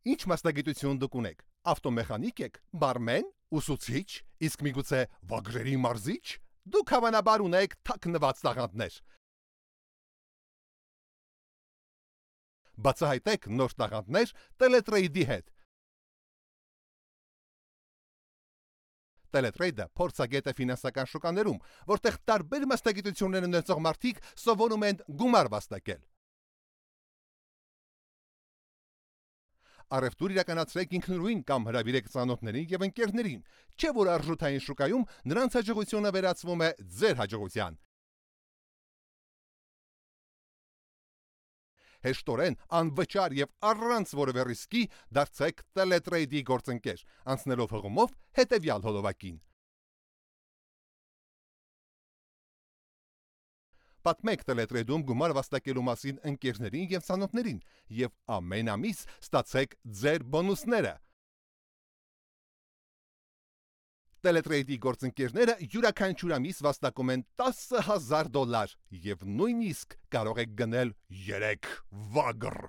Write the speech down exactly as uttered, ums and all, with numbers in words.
Ինչ մասնագիտություն դուք ունեք։ Ավտոմեխանիկ եք, բարմեն, ուսուցիչ, իսկ միգուցե վագրերի մարզիչ։ Դուք հավանաբար ունեք թաքնված տաղանդներ։ Բացահայտեք նոր տաղանդներ Teletrade-ի հետ։ Teletrade-ը փորձագետ է ֆինանսական շուկաներում, որտեղ տարբեր մասնագիտություններ ունեցող մարդիկ սովորում են գումար վաստակել։ Առևտուր իրականացրեք ինքնուրույն կամ հրավիրեք ծանոթներին եւ ընկերներին, չէ՞ որ արժութային շուկայում նրանց հաջողությունը վերածվում է ձեր հաջողության։ Հեշտորեն, անվճար եւ առանց որևէ ռիսկի դարձեք Teletrade-ի գործընկեր, անցնելով հղումով հետեւյալ հոլովակին։ Պատմեք Teletrade-ում գումար վաստակելու մասին ընկերներին եւ ծանոթներին եւ ամեն ամիս ստացեք ձեր բոնուսները։ Teletrade-ի գործընկերները յուրաքանչյուր ամիս վաստակում են տասը հազար դոլար եւ նույնիսկ կարող եք գնել երեք վագր։